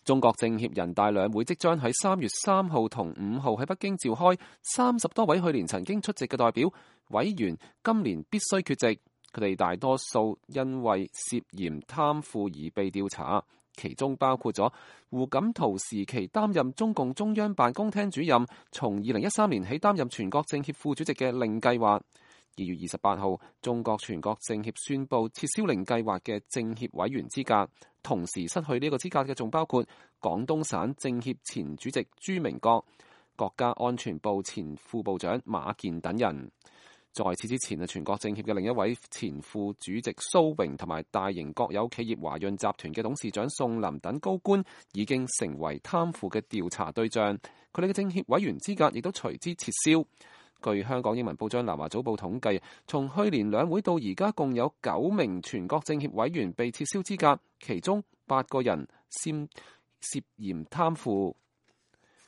中國政協人大兩會即將喺3月3號同5號喺北京召開，30多位去年曾經出席嘅代表委員今年必須缺席，佢哋大多數因為涉嫌貪腐而被調查，其中包括咗胡錦濤時期擔任中共中央辦公廳主任，從2013年起擔任全國政協副主席嘅令計劃。2月28號，中國全國政協宣布撤銷令計劃嘅政協委員資格，同時失去呢個資格嘅仲包括廣東省政協前主席朱明國、國家安全部前副部長馬建等人。在此之前，全國政協嘅另一位前副主席蘇榮同埋大型國有企業華潤集團嘅董事長宋林等高官已經成為貪腐嘅調查對象，佢哋嘅政協委員資格亦都隨之撤銷。據香港英文報章南華早報統計，從去年兩會到而家，共有9名全國政協委員被撤銷資格，其中8個人涉嫌貪腐。